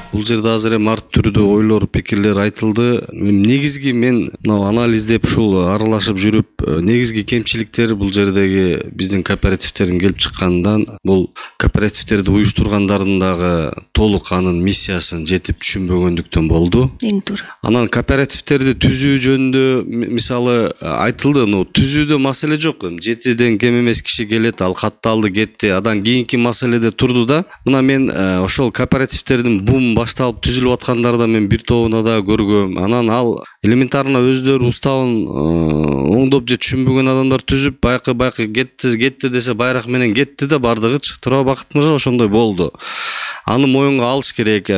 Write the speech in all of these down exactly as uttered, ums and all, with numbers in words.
Бул жерде азыр эми ар түрдүү ойлор, пикирлер айтылды. Негизги мен мына анализдеп ушул аралашып жүрүп, негизги кемчиликтери бул жердеги биздин кооперативтердин келип чыккандан, бул кооперативтерди уюштургандардын дагы толук анын миссиясын жетип түшүнбөгөндүктөн болду. Эң туура. Анан кооперативтерди түзүү жөнүндө мисалы айтылды, ну түзүүдө маселе жок. Жетиден кем эмес киши келет, ал катталды, кетти. Адан кийинки маселеде турду да. Мына мен ошол кооперативтердин бум башталып түзүлүп аткандарда мен бир тобуна да көргөм. Анан ал элементарно өздөрү уставын оңдоп же түшүнбөгөн адамдар түзүп, байкы байкы кетти, кетти десе байрак менен кетти да бардыгычы. Тура Бакыт мырза ошондой болду. Аны моюнга алыш керек.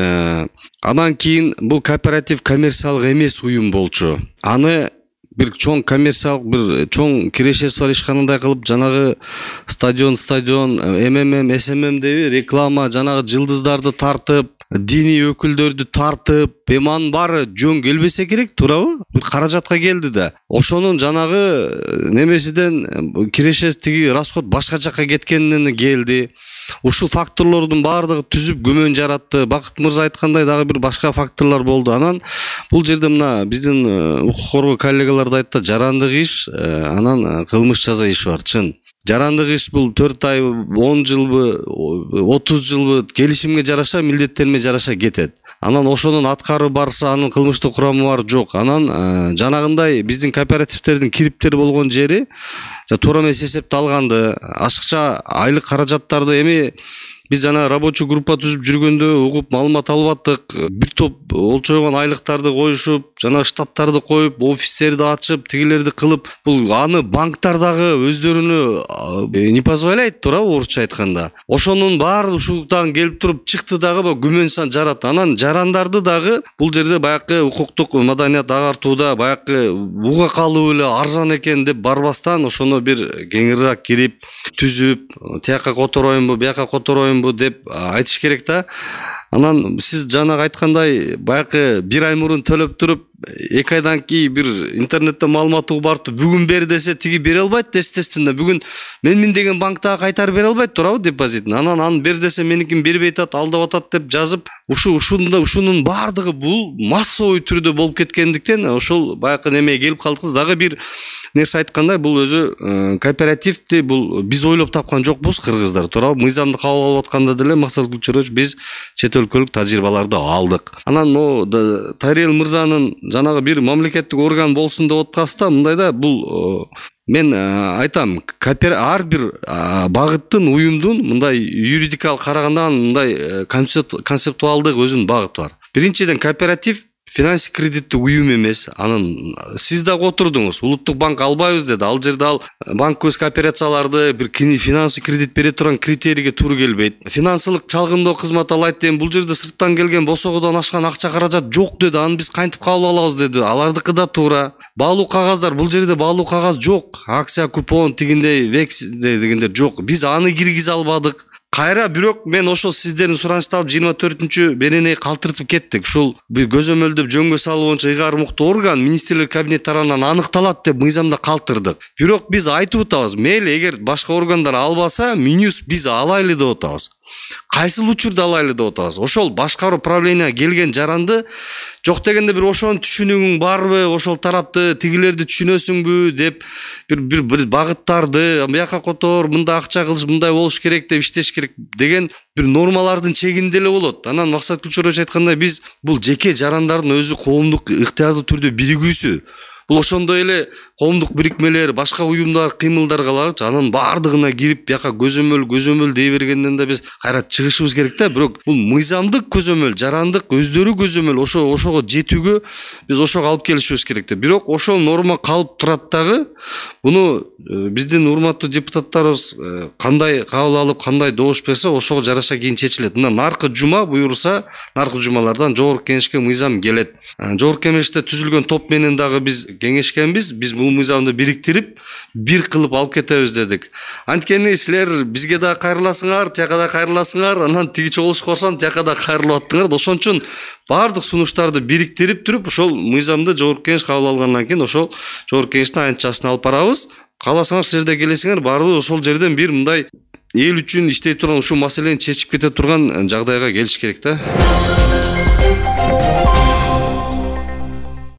Анан кийин бул кооператив коммерциялык эмес уюм болчу. Аны бир чоң коммерциялык бир чоң кирешеси бар ишканандай кылып, жанагы стадион, стадион, МММ, СММ деп реклама, жанагы жылдыздарды тартып, диний өкүлдөрдү тартып, эми анын баары жөн келбесе керек, туурабы? Бир каражатка келди да. Ошонун жанагы немесиден кирешеси тиги расход башка жакка кеткенинен келди. Ушул факторлордун баардыгы түзүп күмөн жаратты. Бакыт мырза айткандай дагы бир башка факторлор болду. Анан бул жерде мына биздин укук коргоо коллегалар да айтты, жарандык иш, анан кылмыш жаза иш бар, чын. Жарандык иш бул төрт ай, он жылбы, отуз жылбы келишимге жараша, милдеттериме жараша кетет. Анан ошонун аткары барса, анын кылмыштык курамы бар, жок. Анан жанагындай биздин кооперативтердин кириптери болгон жери туура эмес эсепталганды, ашыкча айлык каражаттарды эми биз жана рабочий группа түзүп жүргөндө угуп маалымат алып аттык. Бир топ олчойгон айлыктарды коюшуп, жана штаттарды коюп, офистерди ачып, тигилерди кылып, бул аны банктар дагы өздөрүнө не позволяет, туурабы, орусча айтканда. Ошонун баары ушулуктан келип туруп чыкты дагы күмөн сан жаратты. Анан жарандарды дагы бул жерде баякы укуктук маданият агартууда баякы буга калуу эле арзан экен деп барбастан, ошону бир кеңирээк кирип, түзүп, тияка котороюмбу, бияка котороюмбу деп айтыш керек да. Анан сиз жанагы айткандай баякы бир ай мурун төлөп туруп, эки айдан кийин бир интернетте маалымат угуп барып, бүгүн бер десе тиги бере албайт, естественно. Бүгүн менмин деген банктагы кайтарып бере албайт, туурабы, депозитин. Анан аны бер десе меникин бербей атат, алдап атат деп жазып, ушу ушунда ушунун баардыгы бул массовый түрдө болуп кеткендиктен ошол баякы немеге келип калдык. Дагы бир нерсе айткандай, бул өзү кооперативди бул биз ойлоп тапкан жокпуз, кыргыздар, туурабы? Мыйзамды кабыл алып атканда деле Максат Гүлчөрович биз чет өлкөлүк тажрыйбаларды алдык. Анан могу Тарел мырзанын жанагы бир мамлекеттик орган болсун деп аткаста, мындай да, бул мен айтам, ар бир багыттын, уюмдун мындай юридикалык караганда мындай концептуалдык өзүнүн багыты бар. Биринчиден, кооператив финансы кредиттик уюм эмес. Анан сиз дагы отурдуңуз. Улуттук банк албайбыз деди. Ал жерде ал банковский операцияларды бир финансы кредит бере турган критерийге туура келбейт. Финансылык чалгындоо кызматы ал айтты, бул жерде сырттан келген босогодон ашкан акча каражат жок деди. Аны биз кантип кабыл алабыз деди. Алардыкы да туура. Баалуу кагаздар, бул жерде баалуу кагаз жок. Акция, купон дегендей, вексель дегендер жок. Биз аны киргизе албадык. Кайра бирок мен ошол сиздердин суранышты алып жыйырма төртүнчү беренеги калтыртып кеттик. Ушул бир көзөмөлдөп жөнгө салуу боюнча ыйгар муктуу орган министрлер кабинети тарабынан аныкталат деп мыйзамда калтырдык. Бирок биз айтып атабыз, мейли эгер башка органдар албаса, минус биз алайлы деп атабыз. Кайсыл учурда алайлы деп атабыз. Ошол башкаруу правления келген жаранды жок дегенде бир ошону түшүнүүң барбы, ошол тарапты тигилерди түшүнөсүңбү деп бир бир, бир багыттарды бияка котор, мындай акча кылыш, мындай болуш керек деп иштеш керек деген бир нормалардын чегинде эле болот. Анан Максат Гүлчөрович айткандай, биз бул жеке жарандардын өзү коомдук ыктыярдуу түрдө биригүүсү. Бул ошондой эле коомдук бирикмелер, башка уюмдар, кыймылдар каларчы, анын баардыгына кирип, бияка көзөмөл, көзөмөл дей бергенден да биз кайра чыгышыбыз керек да. Бирок бул мыйзамдык көзөмөл, жарандык өздөрү көзөмөл, ошо ошого жетүүгө биз ошого алып келишибиз керек да. Бирок ошол норма калып турат дагы. Буну биздин урматтуу депутаттарыбыз кандай кабыл алып, кандай добуш берсе, ошого жараша кийин чечилет. Мына наркы жума буйруса, наркы жумалардан жогорку кеңешке мыйзам келет. Жогорку кеңеште түзүлгөн топ менен дагы биз кеңешкенбиз. Биз бул мыйзамды бириктирип, бир кылып алып кетебиз дедик. Анткени силер бизге да кайрыласыңар, тияка да кайрыласыңар, анан тиги чогулуш корсоң, тияка да кайрылып аттыңар. Ошон үчүн баардык сунуштарды бириктирип туруп, ошол мыйзамды жогорку кеңеш кабыл алгандан кийин ошол жогорку кеңештин аянтчасын алып барабыз. Кааласаңар силер да келесиңер, баардыгы ошол жерден бир мындай эл үчүн иштей турган ушул маселени чечип кете турган жагдайга келиш керек да.